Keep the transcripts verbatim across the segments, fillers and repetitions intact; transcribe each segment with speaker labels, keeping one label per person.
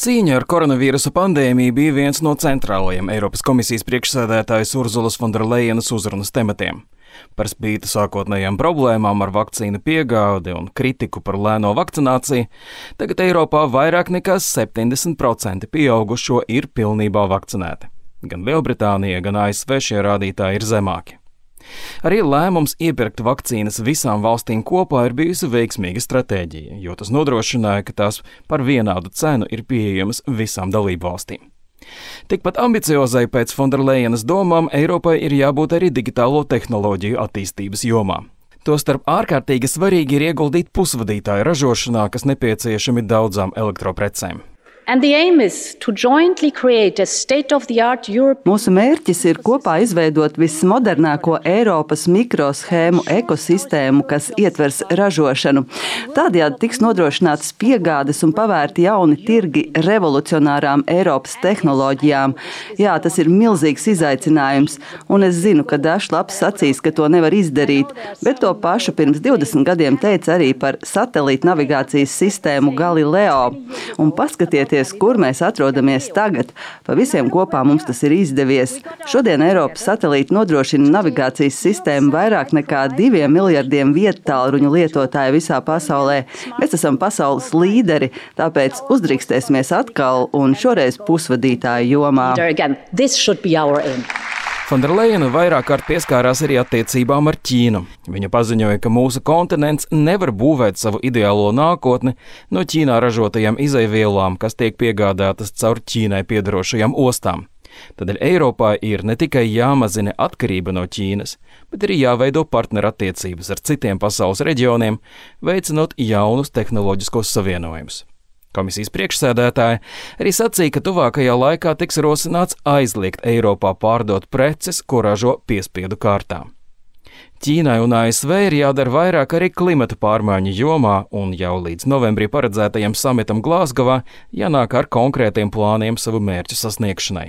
Speaker 1: Cīņa ar koronavīrusa pandēmiju bija viens no centrālajiem Eiropas komisijas priekšsēdētājas Urzulas Fonderlejenas uzrunas tematiem. Par spīti sākotnējām problēmām ar vakcīnu piegādi un kritiku par lēno vakcināciju, tagad Eiropā vairāk nekā septiņdesmit procenti pieaugušo ir pilnībā vakcinēti. Gan Lielbritānija, gan A S V šie rādītāji ir zemāki. Arī lēmums iepirkt vakcīnas visām valstīm kopā ir bijusi veiksmīga stratēģija, jo tas nodrošināja, ka tās par vienādu cenu ir pieejamas visām dalību valstīm. Tikpat ambiciozai pēc Fonderlejenas domām Eiropai ir jābūt arī digitālo tehnoloģiju attīstības jomā. Tostarp ārkārtīgi svarīgi ir ieguldīt pusvadītāju ražošanā, kas nepieciešami daudzām elektroprecēm.
Speaker 2: And the aim is to jointly create a state-of-the-art Europe.
Speaker 3: Mūsu mērķis ir kopā izveidot vismodernāko Eiropas mikroshēmu ekosistēmu, kas ietvers ražošanu. Tādējādi tiks nodrošinātas piegādes un pavērti jauni tirgi revolucionārām Eiropas tehnoloģijām. Jā, tas ir milzīgs izaicinājums, un es zinu, ka dažs labs sacīs, ka to nevar izdarīt, bet to pašu pirms divdesmit gadiem teica arī par satelīta navigācijas sistēmu Galileo. Un paskatieties, kur mēs atrodamies tagad. Pa visiem kopā mums tas ir izdevies. Šodien Eiropas satelīti nodrošina navigācijas sistēmu vairāk nekā diviem miljardiem viedtālruņu lietotāju visā pasaulē. Mēs esam pasaules līderi, tāpēc uzdrīkstēsimies atkal un šoreiz pusvadītāju jomā.
Speaker 1: Fonderlejena vairāk kārt pieskārās arī attiecībām ar Ķīnu. Viņa paziņoja, ka mūsu kontinents nevar būvēt savu ideālo nākotni no Ķīnā ražotajām izejvielām, kas tiek piegādātas caur Ķīnai piedarošajām ostām. Tādēļ Eiropā ir ne tikai jāmazina atkarība no Ķīnas, bet arī jāveido partnerattiecības ar citiem pasaules reģioniem, veicinot jaunus tehnoloģiskos savienojumus. Komisijas priekšsēdētāja arī sacīja, ka tuvākajā laikā tiks rosināts aizliegt Eiropā pārdot preces, ko ražo piespiedu kārtā. Ķīnai un A S V ir jādara vairāk arī klimata pārmaiņu jomā, un jau līdz novembrī paredzētajam samitam Glāzgovā jānāk ar konkrētiem plāniem savu mērķu sasniegšanai.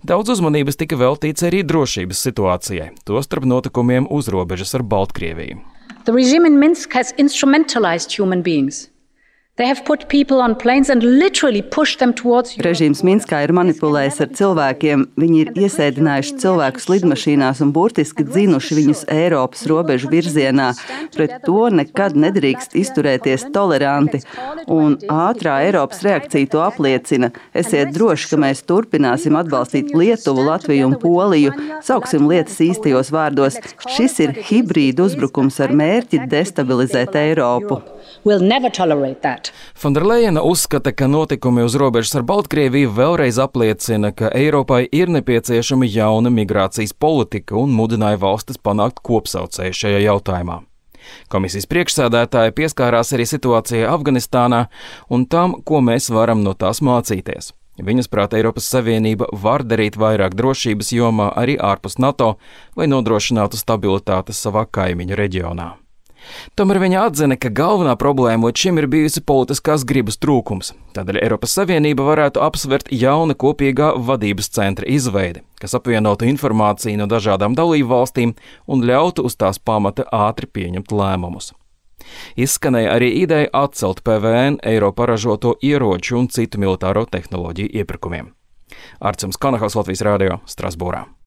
Speaker 1: Daudz uzmanības tika veltīts arī drošības situācijai, tostarp notikumiem uz robežas ar Baltkrieviju.
Speaker 2: The regime in Minsk has instrumentalized human beings. They have put people on planes and literally pushed them towards Europe.
Speaker 3: Režīms Minskā ir manipulējis ar cilvēkiem. Viņi ir iesēdinājuši cilvēkus lidmašīnās un burtiski dzinuši viņus Eiropas robežu virzienā. Pret to nekad nedrīkst izturēties toleranti. Un ātrā Eiropas reakcija to apliecina. Esiet droši, ka mēs turpināsim atbalstīt Lietuvu, Latviju un Poliju. Sauksim lietas īstajos vārdos. Šis ir hibrīda uzbrukums ar mērķi destabilizēt Eiropu.
Speaker 2: We'll never tolerate that.
Speaker 1: Fonderlejena uzskata, ka notikumi uz robežas ar Baltkrieviju vēlreiz apliecina, ka Eiropai ir nepieciešama jauna migrācijas politika un mudināja valstis panākt kopsaucēju šajā jautājumā. Komisijas priekšsēdētāja pieskārās arī situācijai Afganistānā un tam, ko mēs varam no tās mācīties. Viņas prāt, Eiropas Savienība var darīt vairāk drošības jomā arī ārpus NATO, lai nodrošinātu stabilitāti savā kaimiņu reģionā. Tomēr viņa atzina, ka galvenā problēma līdz šim ir bijusi politiskās gribas trūkums. Tādēļ Eiropas Savienība varētu apsvert jauna kopīgā vadības centra izveidi, kas apvienotu informāciju no dažādām dalību valstīm un ļautu uz tās pamata ātri pieņemt lēmumus. Izskanēja arī ideja atcelt P V N Eiropā ražoto ieroču un citu militāro tehnoloģiju iepirkumiem. Arcums Kanahals, Latvijas radio, Strasbūrā.